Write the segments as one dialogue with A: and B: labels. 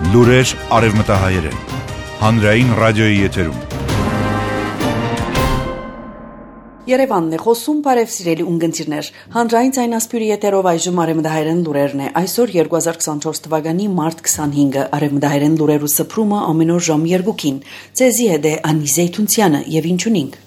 A: Լուրեր արևմտահայերեն, հանրային ռադիոյի եթերում։
B: Երևանն է խոսում, բարև սիրելի ունգընտիրներ, հանրային ձայնասպյուրի եթերով այժմ արևմտահայերեն լուրերն է, այսօր 2024 թվականի մարտ 25-ը, արևմտահայերեն լուրերու սփռումը ամեն օր ժամ 2-ին, ձեզի հետ է Անի Զեյթունցյանը եւ ինչ ունենք։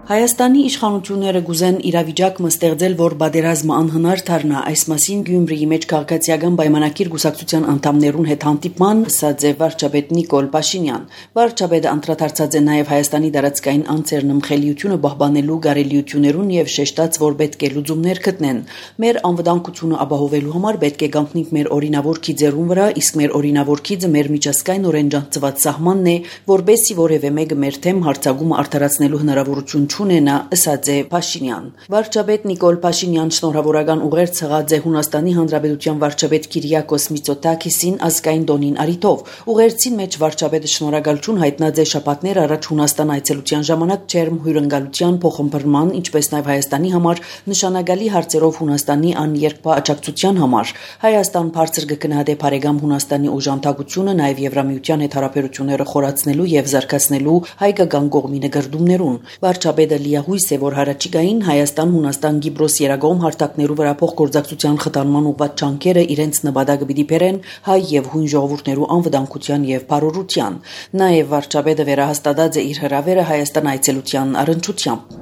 B: Հայաստանի իշխանությունները գուզեն իրավիճակը ստեղծել, որ բادرազմը անհնար դառնա, այս մասին Գյումրիի մեջ քաղաքացիական պայմանագիր գուսակցության անդամներուն հետ հանդիպման ասաց է վարչապետ Նիկոլ Փաշինյան։ Վարչապետը անդրադարձած է նաև Հայաստանի դարածքային անձերն ըմխելիությունը պահպանելու գարելիություններուն եւ շեշտաց, որ պետք է լուծումներ գտնեն։ Մեր անվտանգությունը ապահովելու համար պետք է գանքնենք մեր օրինավոր քիծերուն վրա, իսկ մեր օրինավոր քիծը մեր միջազգային օրենջանցված սահմանն է, որբեսի որևէ մեկը մեր թեմ հարցակումը արդարացնելու հնարավորություն ունենա, ասաց է Փաշինյան։ Վարչապետ Նիկոլ Փաշինյան շնորհավորական ուղերձ ցղած է Հունաստանի Հանրապետության վարչապետ Կիրիակոս Միծոտակիսին ազգային տոնին արիթով։ Ուղերձին մեջ վարչապետը շնորհակալություն հայտնած է շաբաթներ առաջ Հունաստան այցելության ժամանակ ջերմ հյուրընկալության փոխմբռնման, ինչպես նաև Հայաստանի համար նշանակալի հարցերով Հունաստանի աներկբա աջակցության համար։ Հայաստան բարձր կգնահատե բարեկամ Հունաստանի օժանդակությունը, նաև Եվրամիության հետ հարաբերությունները խորացնելու եւ զարգացնելու հայկական կողմի նկատումներուն։ Վարչապետը լիահույս է, որ հարաճիգային Հայաստան-Հունաստան-Գիբրոս երագողմ հարթակներու վրա փոխգործակցության խթանման ուղղված ջանքերը իրենց նպատակը պիտի բերեն հայ եւ հույն ժողովուրդներու անվտանգության եւ բարօրության։ Նաեւ վարչապետը վերահաստատած է իր հրավերը Հայաստան այցելության առընչությամբ։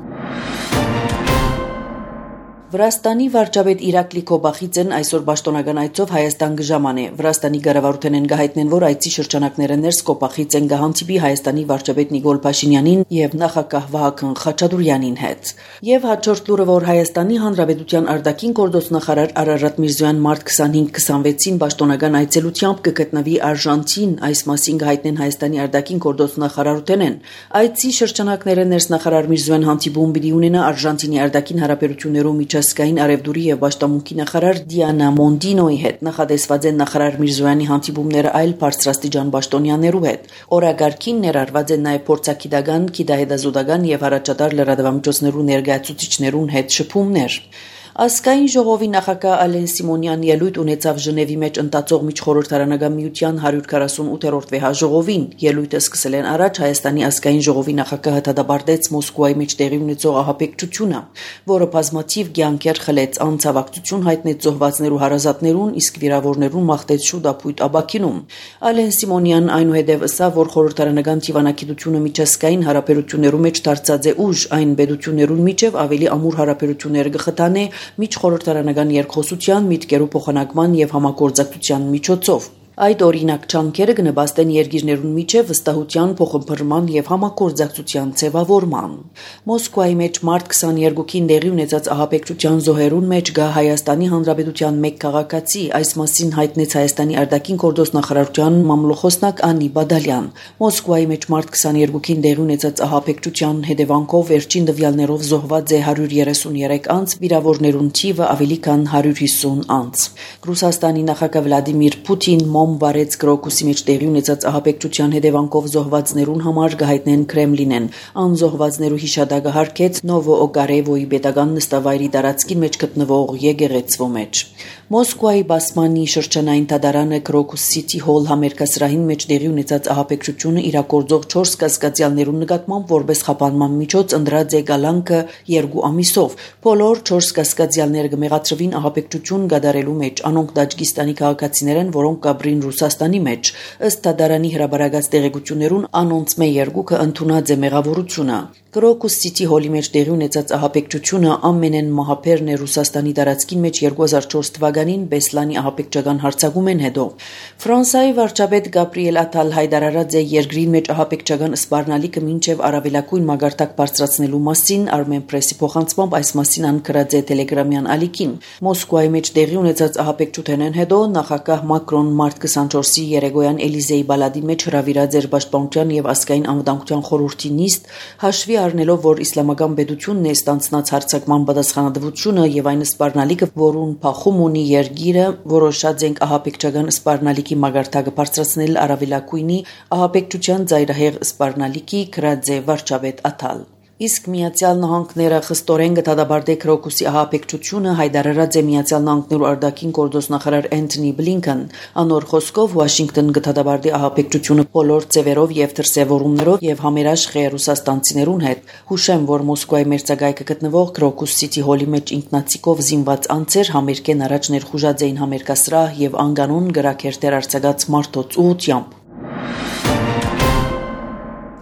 B: Վրաստանի վարչապետ Իրակլի Քոբախիձեն այսօր պաշտոնական այցով Հայաստան գժաման է։ Վրաստանի կառավարութենեն գահիտնեն, որ այցի շրջանակները ներս Քոբախիձեն գահանտիպի Հայաստանի վարչապետ Նիկոլ Փաշինյանին եւ նախագահ Վահագն Խաչատուրյանին հետ։ Եվ հաջորդ լուրը, որ Հայաստանի Հանրապետության արտաքին գործոստնախարար Արարատ Միրզոյան մարտ 25-26-ին պաշտոնական այցելությամբ կգտնվի Արժանտին, այս մասին գահիտնեն Հայաստանի արտաքին գործոստնախարարութենեն։ Այցի շրջանակները ներս նախարար Միրզոյան հանդիպում պիտի ունենա Արժանտինի արտաքին հարաբերություններում միջազգային արևդուրի եւ պաշտամունքի նախարար Դիանա Մոնդինոյի հետ նախադեсված են նախարար Միրզոյանի հանդիպումները այլ բարձրաստիճան պաշտոնյաներու հետ։ Օրագարկին ներառված են նաեւ փորձագիտական, գիտահետազոտական եւ առաջատար լրատվամիջոցներու ներկայացուցիչներուն հետ շփումներ։ Ազգային ժողովի նախագահ Ալեն Սիմոնյան ելույթ ունեցավ Ժնևի մեջ ընթացող միջխորհրդարանական միության 148-րդ վեհաժողովին։ Ելույթը սկսել են առաջ Հայաստանի ազգային ժողովի նախագահը դատապարտեց Մոսկվայի մեջ տեղի ունեցող ահաբեկչությունը, որը բազմաթիվ կյանքեր խլեց, անցավակցություն հայտնեց զոհվածներու հարազատներուն, իսկ վիրավորներուն մաղթեց շուտ ապույտ աբակինում։ Ալեն Սիմոնյան այնուհետև ասավ, որ խորհրդարանական դիվանագիտությունը միջազգային հարաբերություններու մեջ դարձած է ուժ, այն պետություններուն միջև ավելի ամուր հարաբերություններ կխթանե միջխորհրդարանական երկխոսության, միտքերու փոխանակման եւ համագործակցության միջոցով։ Այդ օրինակ ջանքերը կնպաստեն երկիրներուն միջև վստահության փոխմբռնման եւ համագործակցության ձևավորման։ Մոսկվայի մեջ մարտ 22-ին տեղի ունեցած ահաբեկչության զոհերուն մեջ գա Հայաստանի Հանրապետության մեկ քաղաքացի, այս մասին հայտնեց Հայաստանի արտաքին գործոստնախարարության մամլոխոսնակ Անի Բադալյան։ Մոսկվայի մեջ մարտ 22-ին տեղի ունեցած ահաբեկչության հետևանքով վերջին տվյալներով զոհված է 133 անձ, վիրավորներուն թիվը ավելի քան 150 անձ։ Ռուսաստանի նախագահ Վլադիմիր Պուտին բարեց Կրոկուսի մեջ տեղի ունեցած ահաբեկչության հետևանքով զոհվածներուն համար գահիտնեն Կրեմլինեն։ Անզոհվածներու հիշադակը հարգեց Նովոօգարևոյի պետական նստավայրի տարածքի մեջ գտնվող եկեղեցվո մեջ։ Մոսկվայի Բասմանի շրջանային դատարանը Կրոկուս Սիթի հոլ համերգասրահին մեջ տեղի ունեցած ահաբեկչությունը իրագործող 4 կասկածյալներուն նկատմամբ որպես խափանման միջոց ընտրած է գալանքը 2 ամիսով։ Բոլոր 4 կասկածյալները կմեղադրվին ահաբեկչություն կատարելու մեջ։ Անոնք Տաջիկստանի քաղաքացիներ են, որոնք կապրին Ռուսաստանի մեջ։ Ըստ դատարանի հրապարակած տեղեկություններուն անոնց մե երկուքը ընդունած է մեղավորությունը։ Կրոկուս Սիթի հոլի մեջ տեղի ունեցած ահաբեկչությունը ամենեն մահապերն է Ռուսաստանի տարածքին մեջ 2004 թվականին Բեսլանի ահաբեկչական հարձակումեն հետո։ Ֆրանսիայի վարչապետ Գաբրիել Աթալ հայտարարած է երկրի մեջ ահաբեկչական սպառնալիքը մինչև առավելագույն մագարտակ բարձրացնելու մասին, Armen Press-ի փոխանցմամբ այս մասին անկրած է Telegram-յան ալիքին։ Մոսկվայի մեջ տեղի ունեցած ահաբեկչութենեն հետո նախագահ Մակրոն մարտ 24-ի երեկոյան Էլիզեի բալադի մեջ հրավիրած էր Պաշտպանության եւ ազգային անվտանգության խորհրդի նիստ, հաշվի առնելով, որ իսլամական պետությունն է ստանցնած հարձակման պատասխանատվությունը եւ այն սպառնալիքը, որուն փախում ունի երկիրը, որոշած ենք ահաբեկչական սպառնալիքի մագարտակը բարձրացնել առավելագույնի ահաբեկչության ծայրահեղ սպառնալիքի գրած է վարչապետ Աթալ։ Իսկ Միացյալ Նահանգները խստորեն կդադարեցնի Քրոկուսի ահաբեկչությունը հայտարարած է Միացյալ Նահանգներու արտաքին գործոստնախարար Անթոնի Բլինքեն։ Անոր խոսքով Վաշինգտոն կդադարեցնի ահաբեկչությունը բոլոր ձևերով եւ դրսեւորումներով եւ համերաշխ է ռուսաստանցիներուն հետ։ Հուշեմ, որ Մոսկվայի մերձակայքը գտնվող Քրոկուս Սիթի հոլի մեջ ինքնացիկով զինված անձեր համերգեն առաջ ներխուժած էին համերգասրահ եւ անկանոն գրաքերտեր արձակած մարդոց ուղությամբ։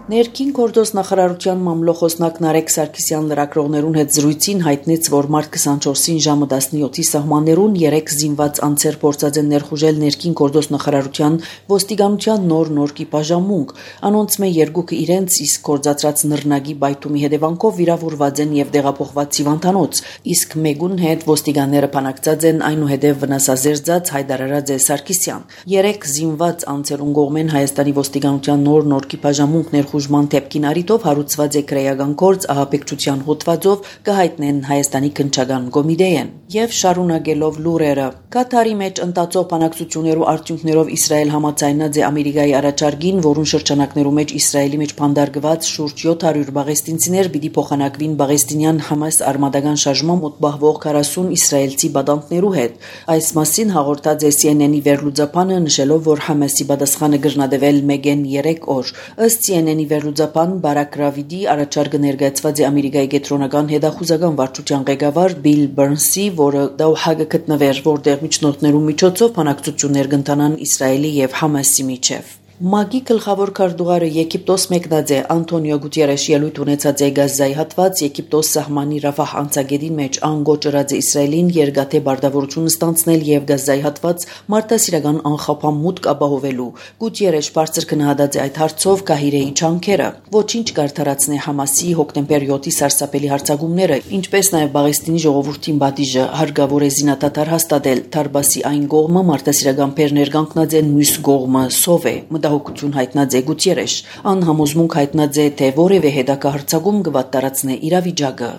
B: Ներքին գործոս նախարարության մամլոխոսնակ Նարեկ Սարգսյան լրագրողներուն հետ զրույցին հայտնեց, որ մարտ 24-ին ժամը 17-ի սահմաններուն 3 զինված անձեր փորձած են ներխուժել ներքին գործոս նախարարության ոստիկանության նոր կիպաժամունք։ Անոնց մե երկուքը իրենց իսկ կորցածած նռնագի բայթումի հետևանքով վիրավորված են եւ դեղափոխված Սիվանտանոց, իսկ մեգուն հետ ոստիկանները փանակցած են այնուհետև վնասազերծած հայտարարած է Սարգսյան։ 3 զինված անձերուն կողմեն Հայաստանի ոստիկանության նոր կիպաժամունք Խուժման թեփքին արիտով հարուցված է քրեական գործ ահաբեկչության հոդվածով կհայտնեն Հայաստանի քննչական կոմիտեին եւ շարունակելով լուրերը Կատարի մեջ ընտածող բանակցություններու արդյունքներով Իսրայել համաձայնած է Ամերիկայի առաջարկին, որուն շրջանակներու մեջ Իսրայելի մեջ փանդարգված շուրջ 700 բաղեստինցիներ պիտի փոխանակվին բաղեստինյան Համաս արմատական շարժման մոտ բահվող 40 իսրայելցի բադանտներու հետ։ Այս մասին հաղորդած է CNN-ի վերլուծապանը, նշելով, որ Համասի պատասխանը կրնադվել մեգեն 3 օր։ Ըստ CNN-ի վերլուծապան Բարակ Ռավիդի առաջարկը ներկայացված է Ամերիկայի կենտրոնական հետախուզական վարչության ղեկավար Բիլ Բըրնսի, որը Դոհա գտնվեր, որտեղ միջնորդներու միջոցով բանակցություններ կընթանան Իսրայելի եւ Համասի միջև։ ՄԱԳ-ի գլխավոր քարտուղարը Եգիպտոս մեկնած է Անտոնիո Գուտիերեշի ելույթ ունեցած է Գազայի հատված Եգիպտոս սահմանի Ռաֆահ անցագետին մեջ անգոճրած է Իսրայելին երկաթե բարտավորություն ստանցնել եւ Գազայի հատված մարտահրավերական անխափան մուտք ապահովելու։ Գուտիերեշ բարձր քննադատած է այդ հարցով Կահիրեի չանքերը, ոչինչ կարտարացնի Համասի հոկտեմբեր 7-ի սարսափելի հարձակումները, ինչպես նաեւ Բաղեստինի ժողովրդին բադիժը հարգավոր է զինադադար հաստատել։ Թարբասի այն կողմը մարտահրավերական բեռներ կանգնած են, մյուս կողմը սով է։ Մտահոգություն հայտնած է Գուտիերեշ, անհամոզմունք հայտնած է, թե որևէ հետագա հարձակում կվատտարացնի իրավիճակը։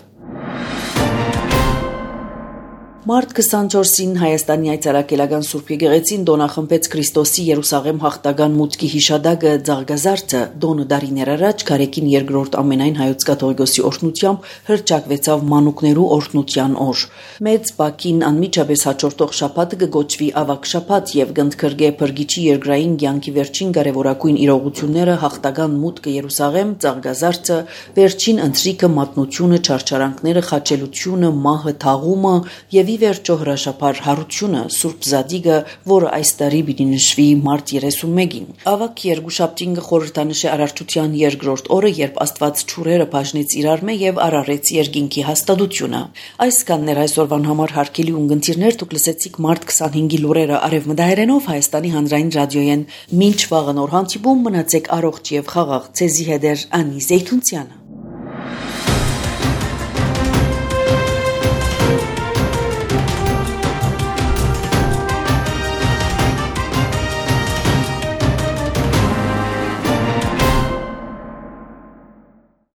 B: Մարտ 24-ին Հայաստանի այցարակելական Սուրբ Եկեղեցին դոնախմբեց Քրիստոսի Երուսաղեմ հաղթական մուտքի հիշադակը Ձաղգազարդը դոնը դարիներ առաջ Քարեկին երկրորդ ամենայն հայոց կաթողիկոսի օրհնությամբ հռչակվեցավ մանուկներու օրհնության օր։ Մեծ Բաքին անմիջապես հաջորդող շաբաթը կգոչվի ավակ շաբաթ եւ կընդգրկե Փրկիչի երկրային կյանքի վերջին կարևորագույն իրողությունները հաղթական մուտքը Երուսաղեմ, Ձաղգազարդը, վերջին ընթրիքը, մատնությունը, չարչարանքները, խաչելությունը, մահը, թաղումը եւ վերջո հրաշափար հարությունը Սուրբ Զադիգը, որը այս տարի պիտի նշվի մարտ 31-ին։ Ավակ երկուշաբթին կխորհրդանշի Արարչության երկրորդ օրը, երբ Աստված ճուրերը բաժնեց իրար մե եւ արարեց երկինքի հաստատությունը։ Այսքանն էր այսօրվան համար հարգելի ունգընտիրներ, դուք լսեցիք մարտ 25-ի լուրերը արևմտահայերենով Հայաստանի հանրային ռադիոյեն։ Մինչ վաղը նոր հանդիպում, մնացեք առողջ եւ խաղաղ։ Ցեզի հետ Անի Զեյթունցյանը։